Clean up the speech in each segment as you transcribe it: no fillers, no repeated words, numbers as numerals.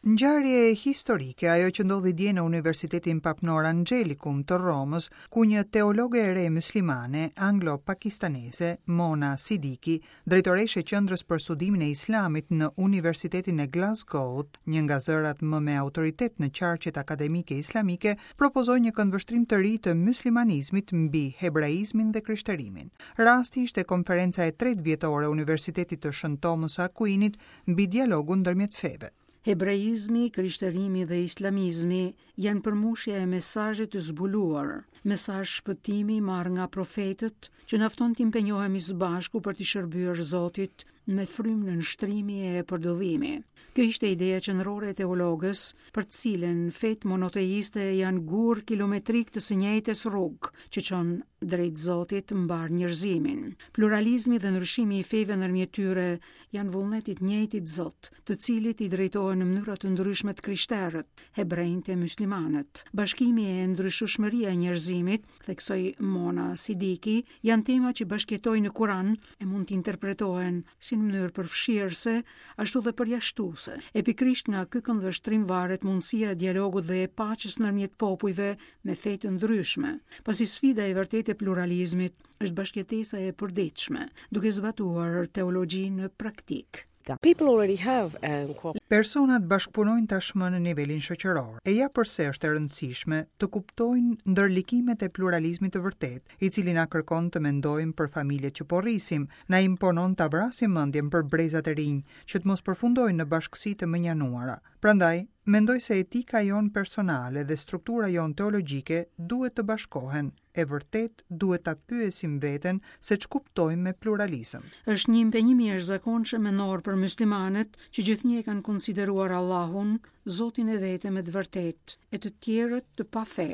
Ngjarje historike ajo që ndodhi dje në Universitetin Papnor Angelicum të Romës, ku një teologe e re myslimane, anglo-pakistaneze, Mona Siddiqui, drejtoreshë e Qendrës për Studimin e Islamit në Universitetin e Glasgow-ut, një nga zërat më me autoritet në qarqet akademike islamike, propozoi një këndvështrim të ri të myslimanizmit mbi hebraizmin dhe krishterimin. Rasti ishte konferenca e tretë vjetore e Universitetit të Shën Tomës së Akuinit mbi dialogun ndërmjet feve. Hebraizmi, krishterimi dhe islamizmi janë përmbushja e mesazhit të zbuluar, mesazh shpëtimi i marrë nga profetët, që na fton të impenjohemi së bashku për t'i shërbyer Zotit me frymë nënshtrimi e përdëllimi. Kjo ishte ideja qendrore e teologes, për të cilën fetë monoteiste janë gurë kilometrikë të së njëjtës rrugë, që çon drejt Zotit mbarë njerëzimin. Pluralizmi dhe ndryshimi i feve ndërmjet tyre janë vullnet i të njëjtit Zot, të cilit i drejtohen në mënyra të ndryshme të krishterët, hebrenjtë e myslimanët. Bashkimi e ndryshueshmëria e njerëzimit, theksoi Mona Siddiqui, janë tema që bashkëjetojnë në Kuran e mund të interpretohen si në mënyrë përfshirëse, ashtu dhe përjashtuese. E pikërisht nga ky këndvështrim varet mundësia e dialogut dhe e paqes ndërmjet popujve me fe të ndryshme, pasi sfida e vërtetë e pluralizmit është bashkëjetesa e përditshme, duke zbatuar teologjinë në praktikë. People already have um, Personat bashkëpunojnë tashmë në nivelin shoqëror. E ja përse është e rëndësishme të kuptojnë ndërlikimet e pluralizmit të vërtetë, i cili na kërkon të mendojmë për familjet që po rrisim, na imponon ta vrasim mendjen për brezat e rinj, që të mos përfundojnë në bashkësi të mënjanuara. Prandaj, mendoj se etika jonë personale dhe struktura jonë teologjike duhet të bashkohen e vërtet duhet ta pyesim veten se ç'kuptojmë me pluralizëm. Është një impenjim i jashtëzakonshëm mendor për myslimanët që gjithnjë e kanë konsideruar Allahun, Zotin e vetëm e të vërtetë, e të tjerët të pafe.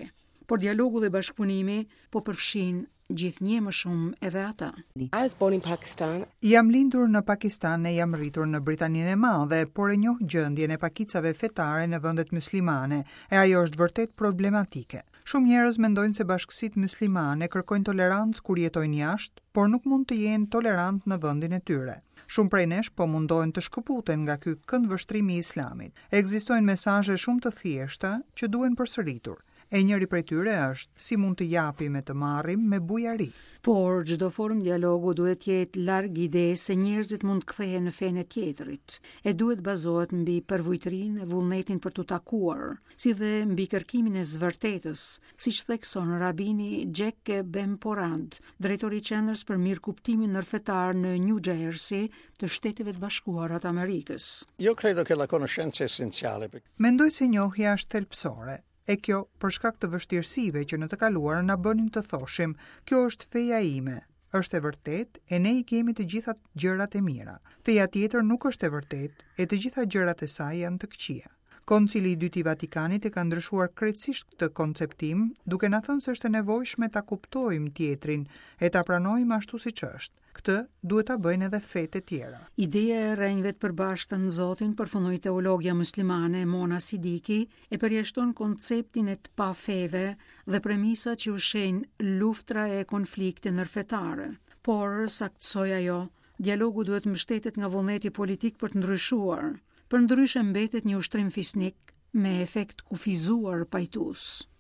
Por dialogu dhe bashkëpunimi po përfshijnë gjithnjë më shumë edhe ata. I was born in Pakistan. Jam lindur në Pakistan e jam rritur në Britaninë e Madhe, por e njoh gjendjen e pakicave fetare në vendet myslimane, e ajo është vërtet problematike. Shumë njerëz mendojnë se bashkësitë myslimane kërkojnë tolerancë kur jetojnë jashtë, por nuk mund të jenë tolerantë në vendin e tyre. Shumë prej nesh po mundohen të shkëputen nga ky këndvështrim i Islamit. Ekzistojnë mesazhe shumë të thjeshta që duhen përsëritur. E njëri prej tyre është, si mund të japim e të marrim me bujari. Por, çdo formë dialogu duhet të jetë larg idesë se njerëzit mund të kthehen në fenë e tjetrit, e duhet bazohet mbi përvujtërinë e vullnetin për t'u takuar, si dhe mbi kërkimin e së vërtetës, siç thekson rabini Jack Bemporad, drejtor i Qendrës për Mirëkuptimin Ndërfetar në New Jersey të Shteteve të Bashkuara të Amerikës. Io credo che la conoscenza è essenziale. Mendoj se njohja është thelbësore, e kjo për shkak të vështirësive që në të kaluarën na bënin të thoshim, kjo është feja ime, është e vërtetë e ne i kemi të gjitha gjërat e mira. Feja tjetër nuk është e vërtetë e të gjitha gjërat e saj janë të këqija. Koncili i Dytë i Vatikanit e ka ndryshuar krejtësisht këtë konceptim, duke na thënë se është e nevojshme ta kuptojmë tjetrin e ta pranojmë ashtu siç është. Këtë duhet ta bëjnë edhe fetë e tjera. Ideja e rrënjëve të përbashkëta në Zotin, përfundoi teologja myslimane Mona Siddiqui, e përjashton konceptin e të pafeve dhe premisat që ushqejnë luftra e konflikte ndërfetare. Por, saktësoi ajo, Dialogu duhet mbështetet nga vullneti politik për të ndryshuar. Përndryshe mbetet një ushtrim fisnik me efekt të kufizuar pajtues.